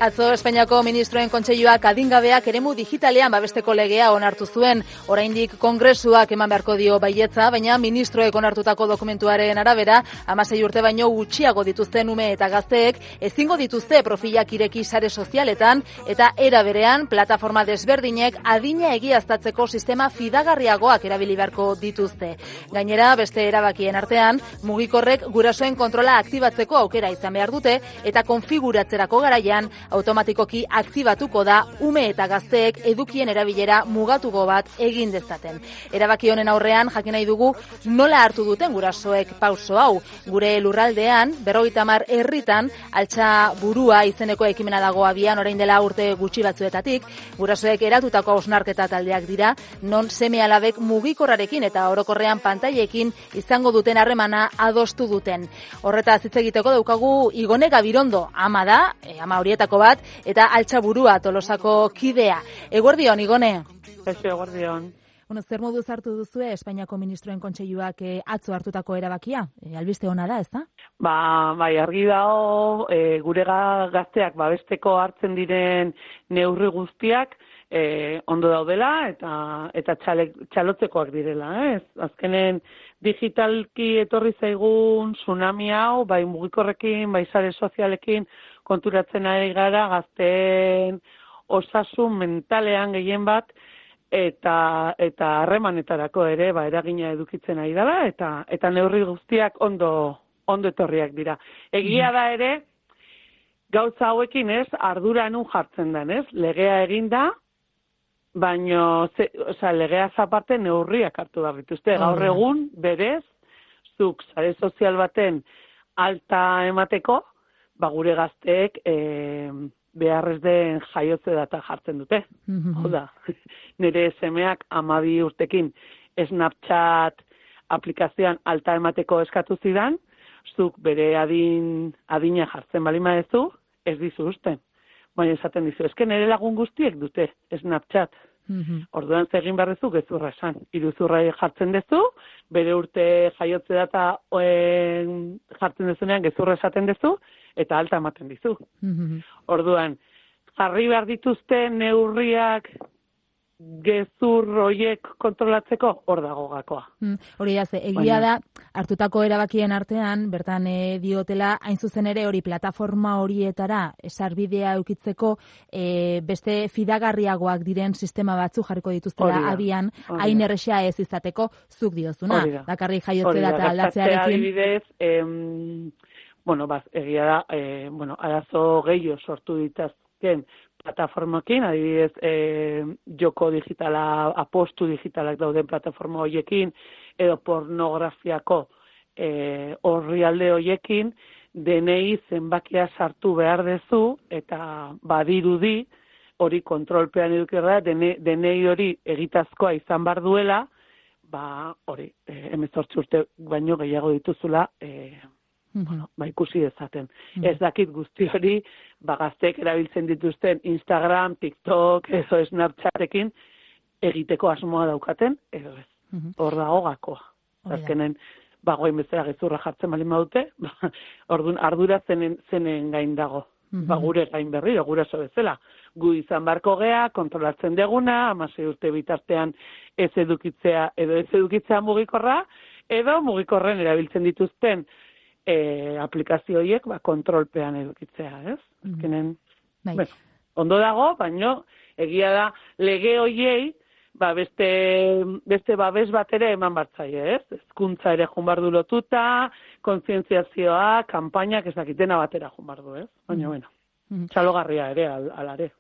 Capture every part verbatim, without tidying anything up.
Atzo Espainiako Ministroen Kontseiluak adingabeak eremu digitalean babesteko legea onartu zuen. Oraindik Kongresuak eman beharko dio baietza, baina ministroek onartutako dokumentuaren arabera, hamasei urte baino gutxiago dituzten ume eta gazteek ezingo dituzte profilak ireki sare sozialetan eta era berean plataforma desberdinek adina egiaztatzeko sistema fidagarriagoak erabili beharko dituzte. Gainera, beste erabakien artean, mugikorrek gurasoen kontrola aktibatzeko aukera izan behar dute eta konfiguratzerako garaian automatikoki aktibatuko da ume eta gazteek edukien erabilera mugatuko bat egin dezaten. Erabaki honen aurrean jakin nahi dugu nola hartu duten gurasoek pauso hau. Gure lurraldean, berrogeita hamar herritan, altxa burua izeneko ekimena dago abian orain dela urte gutxi batzuetatik, gurasoek eratutako hausnarketa taldeak dira, non seme alabek mugikorrarekin eta orokorrean pantailekin izango duten harremana adostu duten. Horretaz hitz egiteko daukagu Igone Gabirondo, ama da, e, ama horietako bat, eta Altxaburua Tolosako kidea. Eguerdion, Igone? Eso, eguerdion. Bueno, zer moduz hartu duzue Espainiako Ministroen Kontseiluak eh, atzo hartutako erabakia? E, albiste ona da, ezta? Ba, bai, argi dago, e, gure gazteak babesteko hartzen diren neurri guztiak e, ondo daudela eta eta txale, txalotzekoak direla, ez? Azkenen digitalki etorri zaigun tsunami hau, bai mugikorrekin, bai sare sozialekin, konturatzen ari gara gazteen osasun mentalean gehien bat eta eta harremanetarako ere ba eragina edukitzen ari dela eta eta neurri guztiak ondo ondo etorriak dira. Egia da ere gauza hauekin, ez, ardura nun jartzen den, ez? Legea eginda, baino ze, osea, legeaz aparte neurriak hartu behar dituzte. Gaur egun berez zuk sare sozial baten alta emateko ba gure gazteek e, beharrez den jaiotze data jartzen dute. Mm-hmm. Hau da, nire semeak hamabi urtekin Snapchat aplikazioan alta emateko eskatu zidan, zuk bere adin, adina jartzen bali madezu, ez dizu usten. Baina esaten dizu, eske nire lagun guztiek dute Snapchat. Mm-hmm. Orduan zegin barrezu gezurra esan. Iruzurra jartzen dezu, bere urte jaiotze data oen, jartzen dezunean gezurra esaten dezu, eta alta ematen dizu. Mm-hmm. Orduan, jarri behar dituzte neurriak gezur horiek kontrolatzeko, hor dago gakoa. Mm, hori da, egia da, hartutako erabakien artean, bertan e, diotela, hain zuzen ere hori plataforma horietara sarbidea eukitzeko e, beste fidagarriagoak diren sistema batzu jarriko dituztela abian, hain errexea ez izateko, zuk diozuna. Dakarri jaiotze data aldatzearekin. Adibidez, em, bueno, baz, egia da, e, bueno, arazo gehiago sortu ditazken plataformakin, adibidez, e, joko digitala, apostu digitalak dauden plataforma horiekin, edo pornografiako e, orrialde horiekin, denei zenbakia sartu behar dezu, eta badirudi, hori kontrolpean edukirra, dene, denei hori egitazkoa izan bar duela, ba, hori, e, hemezortzi urte baino gehiago dituzula, e, Mm-hmm. Bueno, ba ikusi dezaten. Mm-hmm. Ez dakit guzti hori, ba gazteek erabiltzen dituzten Instagram, TikTok, edo Snapchatekin egiteko asmoa daukaten, edo ez. Mm-hmm. Hor dago gakoa. Azkenen, bagoen bezala gezurra jartzen bali maute, ba, orduan ardura zenen, zenen gain dago. Mm-hmm. Ba gure gain berriro, guraso bezala. Gu izan barko gea, kontrolatzen deguna, hamasei urte bitartean ez edukitzea, edo ez edukitzea mugikorra, edo mugikorren erabiltzen dituzten E, aplikazio horiek ba, kontrolpean edukitzea, ez? Azkenen, mm-hmm. bueno, ondo dago, baino egia da lege horiei ba, beste, beste babes bat ere eman bartzaie, ez? Hezkuntza ere joan bardu lotuta, kontzientziazioa, kanpainak ez dakitena batera joan bardu, ez? Baina, mm-hmm. bueno, txalogarria ere, al, alare.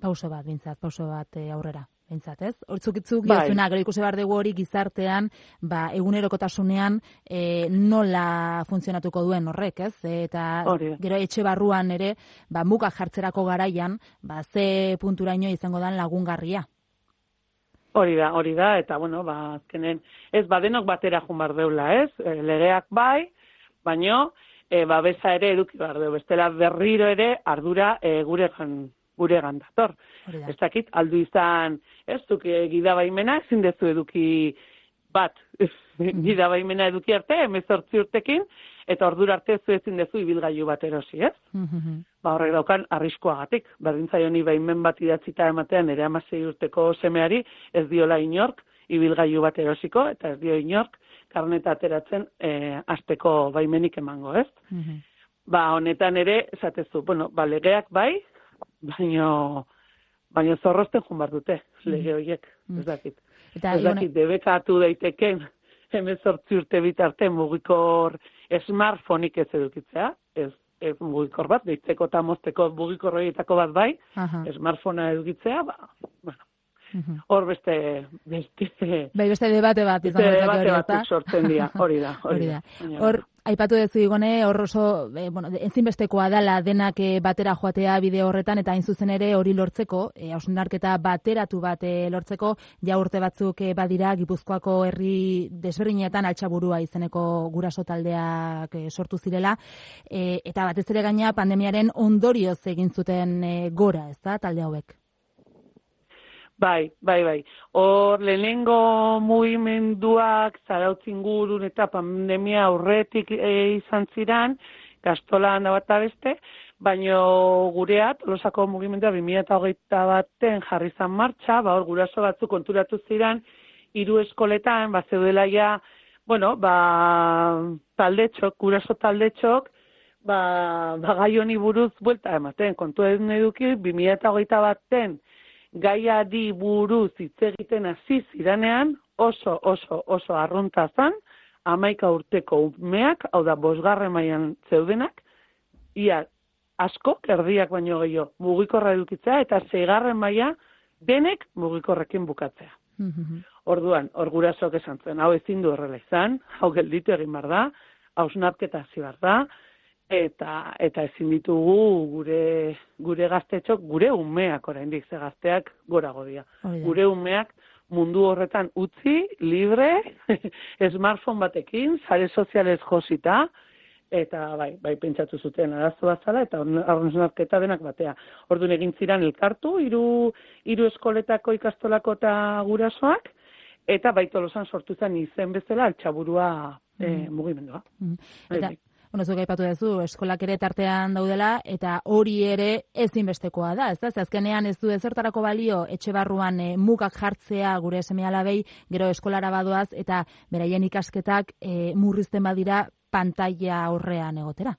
Pauso bat, bintzat, pauso bat e, aurrera. Bentsat, ez? Hortzukitzuk diozuna, gero ikusi behar dugu hori gizartean, ba, egunerokotasunean e, nola funtzionatuko duen horrek, ez? Eta Orida. Gero etxe barruan ere, ba, mugak jartzerako garaian, ba, ze punturaino izango dan lagungarria. Hori da, hori da, eta, bueno, ba, azkenen, ez, badenok batera joan behar deula, ez? E, legeak bai, baino, e, babesa ere eduki behar deu, bestela berriro ere ardura e, gure gure gandator. Ez dakit, aldu izan, ez, duk gidabaimena, ezin dezu eduki bat, gidabaimena eduki arte, hemezortzi urtekin, eta ordura arte zu ezin dezu ibilgailu bat erosi, ez? ba horrek daukan arriskuagatik. Berdin zaioni baimen bat idatzita ematean ere hamasei urteko semeari ez diola inork ibilgailu bat erosiko, eta ez dio inork karneta ateratzen e, asteko baimenik emango, ez? Mm-hmm. Ba, honetan ere, esatezu, bueno, ba, legeak bai, baino, baino zorrozten jun bar dute, lege horiek, ez dakit. Eta, ez dakit, debekatu daiteken, hemezortzi urte bitarte mugikor smartphoneik ez edukitzea, ez, ez mugikor bat, deitzeko eta mozteko mugikor horietako bat bai, uh-huh. smartphonea edukitzea, ba, bueno, hor beste, beste... Bai, beste debate bat izan beste debate batzuk sortzen dira, hori da, hori da. Hor, aipatu dezu Igone, hor oso, eh, bueno, ezinbestekoa dela denak eh, batera joatea bide horretan, eta hain zuzen ere hori lortzeko, eh, hausnarketa bateratu bat eh, lortzeko, ja urte batzuk eh, badira, Gipuzkoako herri desberdinetan Altxaburua izeneko guraso taldeak eh, sortu zirela, eh, eta batez ere gaina pandemiaren ondorioz egin zuten eh, gora, ez da, talde hauek? Bai, bai, bai. Hor lehenengo mugimenduak Zarautzin gurun eta pandemia aurretik e, izan ziran, Gastolan da bat beste, baino gurea, Tolosako mugimendua bi mila hogeita baten jarri zan martxa, ba hor guraso batzuk konturatu ziran, hiru eskoletan, ba zeudela ja, bueno, ba taldetxok, guraso taldetxok, ba, ba gai honi buruz buelta ematen, kontu edun eduki, bi mila hogeita baten, gaiari buruz hitz egiten hasi ziranean oso oso oso arrunta zan, hamaika urteko umeak, hau da bosgarren mailan zeudenak, ia asko, erdiak baino gehiago, mugikorra edukitzea, eta seigarren maila denek mugikorrekin bukatzea. Mm-hmm. Orduan, hor gurasok esan zen, hau ezin du horrela izan, hau gelditu egin behar da, hausnarketa hasi behar da, eta eta ezin ditugu gure gure gaztetxok, gure umeak oraindik ze gazteak gorago dira. Gure umeak mundu horretan utzi, libre, smartphone batekin, sare sozialez josita, eta bai, bai pentsatu zuten arazo bat zala, eta hausnarketa denak batea. Orduan egin ziran elkartu, hiru hiru eskoletako ikastolako eta gurasoak, eta bai Tolosan sortu zen izen bezala Altxaburua mm. eh, mugimendua. Mm. Eta Bueno, zuk aipatu duzu, eskolak ere tartean daudela, eta hori ere ezinbestekoa da, ez da? Azkenean ez du ezertarako balio etxe barruan e, mugak jartzea gure seme-alabei, gero eskolara badoaz, eta beraien ikasketak e, murrizten badira pantalla aurrean egotera.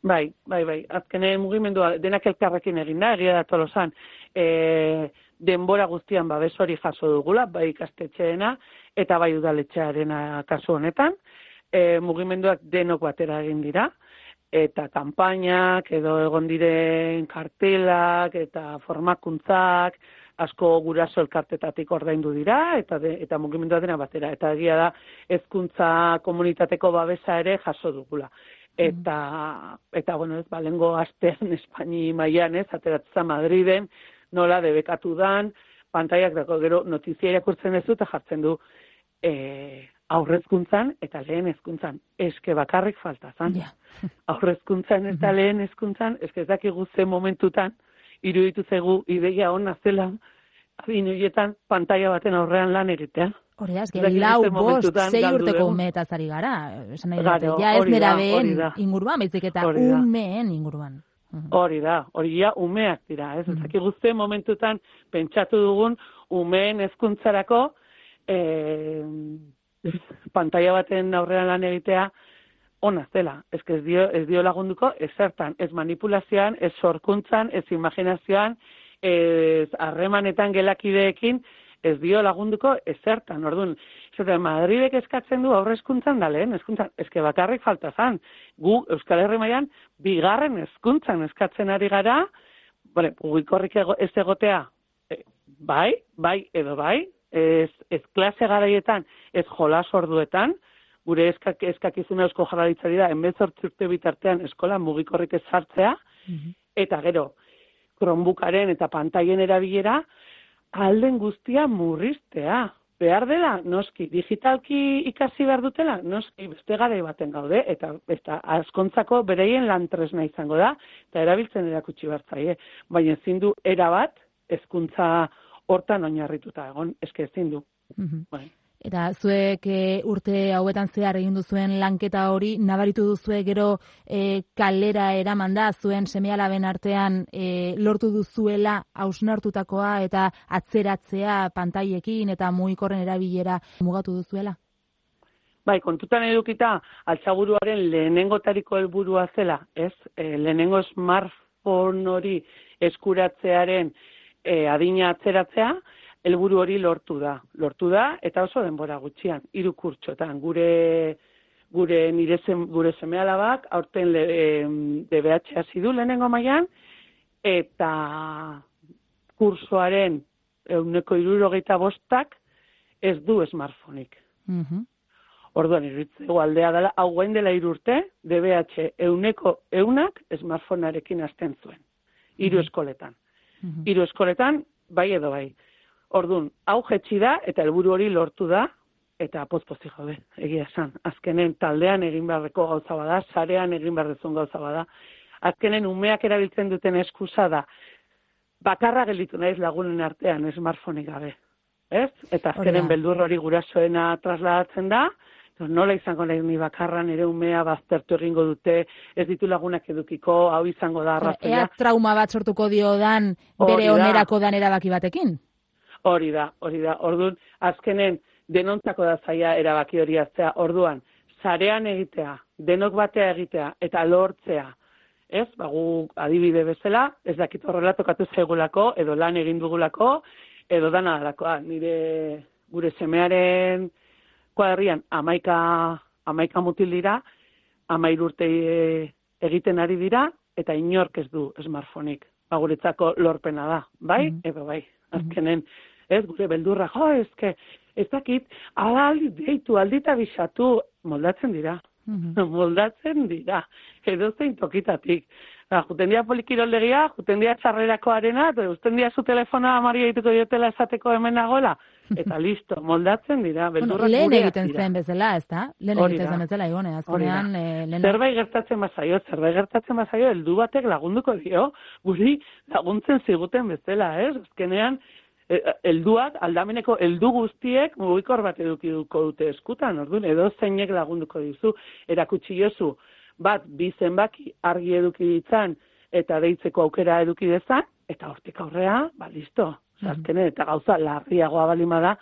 Bai, bai, bai. Azkenean mugimendua denak elkarrekin egin da, egia da Tolosan, e, denbora guztian babes hori jaso dugula, bai ikastetxeena, eta bai udaletxearena kasu honetan. E, mugimenduak denok batera egin dira, eta kanpainak, edo egon diren kartelak, eta formakuntzak, asko guraso elkartetatik ordaindu dira, eta de, eta mugimendua dena batera. Eta egia da, hezkuntza komunitateko babesa ere jaso dugula. Eta, mm. eta bueno, ez balengo astean Espaini mailan ez, ateratzen Madriden, nola debekatu dan, pantaiak dago gero notizia irakurtzen duzu eta jartzen du, e, aurrezkuntzan eta lehen hezkuntzan, eske bakarrik falta zan. Yeah. Aurrezkuntzan eta lehen hezkuntzan, eske ez dakigu ze momentutan, iruditu zaigu ideia ona zela, adin horietan pantaila baten aurrean lan egitea. Hori da, eske lau, bost, sei urteko umeetaz ari gara. Esan nahi dute, ja ez nerabeen inguruan, baizik eta umeen inguruan. Hori da, hori ja umeak dira, ez? Ez dakigu ze momentutan pentsatu dugun umeen hezkuntzarako eh, pantaila baten aurrean lan egitea ona zela. Ez ez dio, ez dio lagunduko ezertan, ez manipulazioan, ez sorkuntzan, ez imaginazioan, ez harremanetan gelakideekin, ez dio lagunduko ezertan. Orduan, zaten Madridek eskatzen du aurrezkuntzan da lehen, hezkuntzan, eske bakarrik falta zan. Gu Euskal Herri mailan bigarren hezkuntzan eskatzen ari gara, bale, mugikorrik ez egotea, e, bai, bai edo bai, Ez, ez klase garaietan, ez jolas orduetan, gure eskak, eskakizuna Eusko Jaurlaritzari da, hemezortzi urte bitartean eskola mugikorrik ez sartzea, mm-hmm. eta gero, Chromebookaren eta pantaien erabilera, alden guztia murriztea. Behar dela, noski, digitalki ikasi behar dutela, noski, beste garai baten gaude, eta, eta askontzako bereien lan tresna izango da, eta erabiltzen erakutsi bertzaie. Baina ezin du erabat, hezkuntza hortan oinarrituta egon, eske ezin du. Mm-hmm. Bai. Eta zuek e, urte hauetan zehar egin duzuen lanketa hori, nabaritu duzue gero e, kalera eraman da, zuen seme-alaben artean e, lortu duzuela hausnartutakoa eta atzeratzea pantailekin eta mugikorren erabilera mugatu duzuela? Bai, kontutan edukita, altzaburuaren lehenengotariko helburua zela, ez? E, lehenengo smartphone hori eskuratzearen e, adina atzeratzea, helburu hori lortu da. Lortu da, eta oso denbora gutxian, hiru kurtsotan. Gure, gure nire zen, gure seme-alabak, aurten D B H hasi du lehenengo mailan, eta kursoaren ehuneko hirurogeita bostak ez du smartphoneik. Mhm. Orduan, iruditzeko aldea dela, hau gain dela hiru urte, D B H euneko eunak smartphonearekin hasten zuen. Hiru eskoletan. Hiru eskoletan, bai edo bai. Orduan, hau jetxi da, eta helburu hori lortu da, eta pozpozi jode, egia esan. Azkenen taldean egin beharreko gauza bada, sarean egin beharrezun gauza bada. Azkenen umeak erabiltzen duten eskusa da, bakarra gelditu naiz lagunen artean, smartphoneik gabe. Ez? Eta azkenen beldur hori gurasoena trasladatzen da, nola izango nahi ni bakarra, nire umea baztertu egingo dute, ez ditu lagunak edukiko, hau izango da arrazoia. Ea trauma bat sortuko dio dan, bere onerako dan erabaki batekin? Hori da, hori da. Orduan, azkenen denontzako da zaila erabaki hori hartzea. Orduan, sarean egitea, denok batea egitea, eta lortzea. Ez, bagu adibide bezala, ez dakit horrela tokatu zaigulako, edo lan egin dugulako, edo dana dalakoa. Nire gure semearen kuadrian amaika, amaika mutil dira, amair urte egiten ari dira, eta inork ez du smartphoneik. Ba, guretzako lorpena da, bai? Mm-hmm. Edo bai, azkenen, ez gure beldurra, jo, ezke, ez dakit, aldi deitu, aldita bisatu, moldatzen dira. Mm-hmm. Moldatzen dira, edo zein tokitatik. Ba, juten dia polikiroldegia, juten dia txarrerako arena, eta usten dia zu telefona amari egituko diotela esateko hemen nagoela, eta listo, moldatzen dira. Bueno, lehen egiten zen bezala, ez da? Lehen egiten zen bezala, igone, azkenean... Eh, zerbait gertatzen bazaio, zerbait gertatzen bazaio, heldu batek lagunduko dio, guri laguntzen ziguten bezala, ez? Azkenean, helduak, aldameneko heldu guztiek mugikor bat edukiko dute eskutan, orduan, edo zeinek lagunduko dizu, erakutsi jozu, bat, bi zenbaki argi eduki ditzan, eta deitzeko aukera eduki dezan, eta hortik aurrea, ba, listo. Azkenen, eta gauza larriagoa balima da,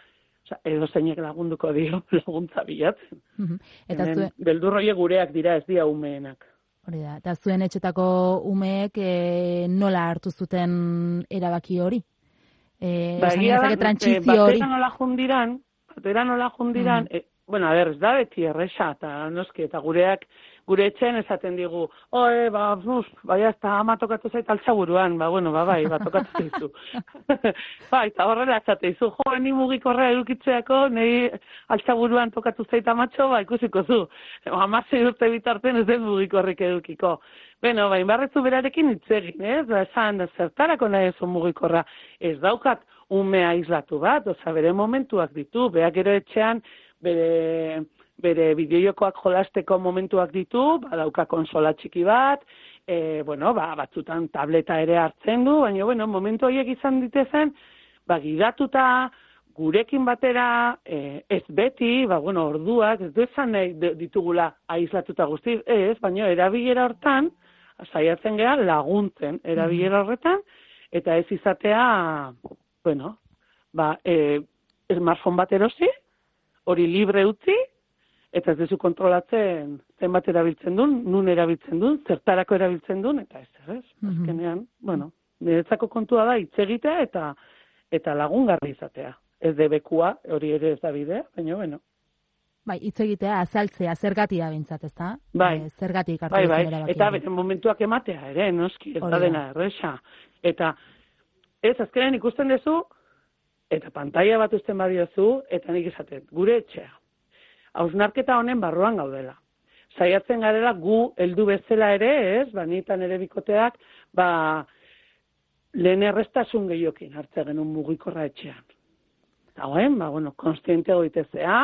edo zeinek lagunduko dio laguntza bilatzen. Eta zuen... Beldurroie gureak dira, ez dira umeenak. Hori da, eta zuen etxetako umeek e, nola hartu zuten erabaki hori? E, ba, egia da, batera nola jundiran, batera nola jundiran, mm. e, bueno, a ber, ez da beti erresa, eta noski, eta gureak, gure etxean esaten digu, oe, ba, uf, baina ez da ama tokatu zait altzaburuan, ba, bueno, ba, bai, ba, tokatu zaizu. Ba, eta horrela esate izu, jo, ni mugikorra edukitzeako, nahi altzaburuan tokatu zait amatxo, ba, ikusiko zu. Hamasei urte bitarten ez den mugikorrik edukiko. Beno, ba, inbarrezu berarekin itzegin, ez? Ba, esan, zertarako nahi ezu mugikorra. Ez daukat umea islatu bat, oza, bere momentuak ditu, beak gero etxean, bere... bere bideojokoak jolasteko momentuak ditu, badauka konsola txiki bat, e, bueno, ba, batzutan tableta ere hartzen du, baina, bueno, momentu horiek izan ditezen, ba, gidatuta, gurekin batera, e, ez beti, ba, bueno, orduak, ez du esan nahi ditugula aislatuta guztiz, ez, baina erabilera hortan, saiatzen gera laguntzen erabilera horretan, eta ez izatea, bueno, ba, e, smartphone bat erosi, hori libre utzi, eta ez dezu kontrolatzen zenbat erabiltzen duen, nun erabiltzen duen, zertarako erabiltzen duen, eta ez, ez? Azkenean, mm-hmm. bueno, niretzako kontua da hitz egitea eta eta lagungarri izatea. Ez debekua, hori ere ez da bidea, baina, bueno. Bai, hitz egitea, azaltzea, zergatia bintzat, ez da? Bai, e, zergatik hartu bai, bai. Erabaki. Eta beren momentuak ematea ere, noski, ez da dena erresa. Eta, ez, azkenean ikusten duzu, eta pantaila bat uzten badiozu, eta nik izaten, gure etxea. Hausnarketa honen barruan gaudela. Saiatzen garela gu heldu bezala ere, ez, ba, nitan ere bikoteak, ba, lehen errestasun gehiokin hartze genuen mugikorra etxean. Eta hoen, ba, bueno, konstiente goitezea,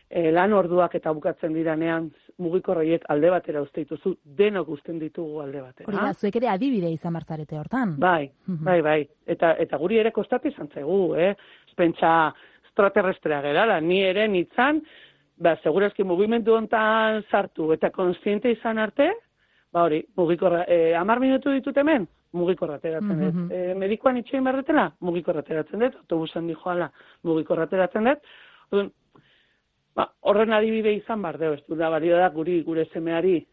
e, lan orduak eta bukatzen diranean mugikorreiek alde batera uste dituzu, denok usten ditugu alde batera. Hori da, zuek ere adibide izan martzarete hortan. Bai, bai, bai. Eta, eta guri ere kostatu izan zaigu, eh? Pentsa, extraterrestrea gerala, ni ere nitzan, ba, segurazki mugimendu hontan sartu eta konstiente izan arte, ba hori, mugikorra, eh, amar minutu ditut hemen, mugikorra ateratzen dut. Mm -hmm. e, medikoan itxein berretela, mugikorra ateratzen dut, autobusan di joala, mugikorra ateratzen dut. Orduan, ba, horren adibide izan bar deu, ez du da balio da guri, gure semeari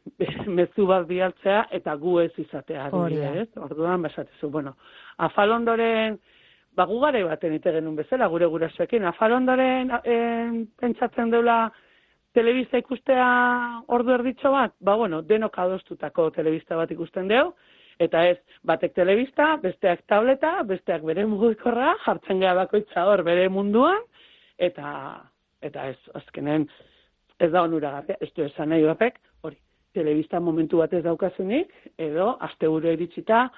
mezu bat bialtzea eta gu ez izatea adibide, ez? Orduan, basatezu, bueno, afalondoren, ba, gugare baten ite genuen bezala, gure gurasoekin, afalondoren en, pentsatzen deula telebista ikustea ordu erditxo bat, ba, bueno, denok adostutako telebista bat ikusten deu, eta ez, batek telebista, besteak tableta, besteak bere mugikorra, jartzen gara bakoitza hor bere munduan, eta eta ez, azkenen, ez da onuragarria, ez du esan nahi horrek, hori, telebista momentu bat ez daukazunik, edo, asteburu iritsita,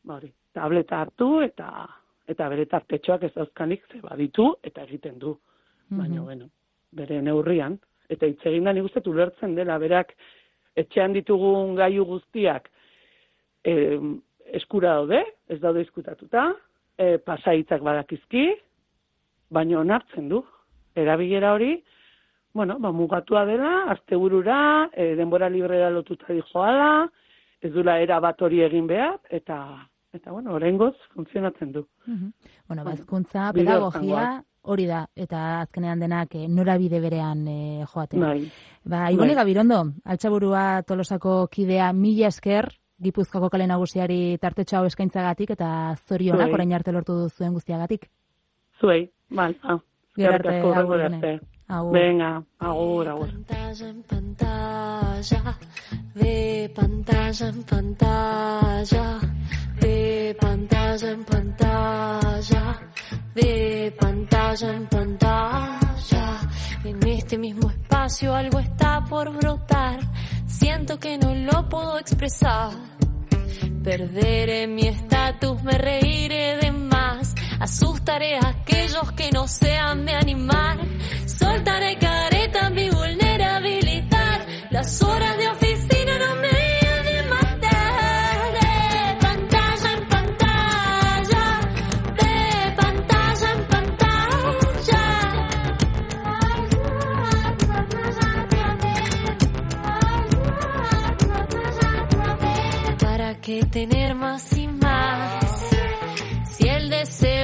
ba, hori, tableta hartu, eta eta bere tartetxoak ez dauzkanik, ze baditu, eta egiten du, baina, mm-hmm. bueno, bere neurrian, eta hitz egin da nik uste ulertzen dela, berak, etxean ditugun gailu guztiak, E, eskura daude, ez daude izkutatuta, e, pasaitzak badakizki, baina onartzen du. Erabilera hori, bueno, ba, mugatua dela, asteburura, e, denbora librera lotuta dijoala, ez dula era bat hori egin behar, eta, eta bueno, oraingoz funtzionatzen du. Mm-hmm. Bueno, bazkuntza, pedagogia, hori da, eta azkenean denak e, norabide berean e, joatea. Bai. Ba, Ibone Gabirondo, Altxaburua Tolosako kidea, mila esker, Gipuzkoako kale nagusiari tartetxo hau eskaintzagatik eta zorionak orain arte lortu duzuen guztiagatik. Zuei, bai. Ah, Gero arte, agur dene. Venga, agur, agur. Pantalla en pantalla, de pantalla en pantalla, de pantalla en pantalla, de pantalla en pantalla. En este mismo espacio algo está por brotar. Siento que no lo puedo expresar. Perderé mi estatus, me reiré de más. Asustaré a aquellos que no sean de animar. Soltaré careta, mi vulnerabilidad. Las horas de oficina no me han de matar. De pantalla en pantalla, de pantalla en pantalla. ¿Para qué tener más y más? Si el deseo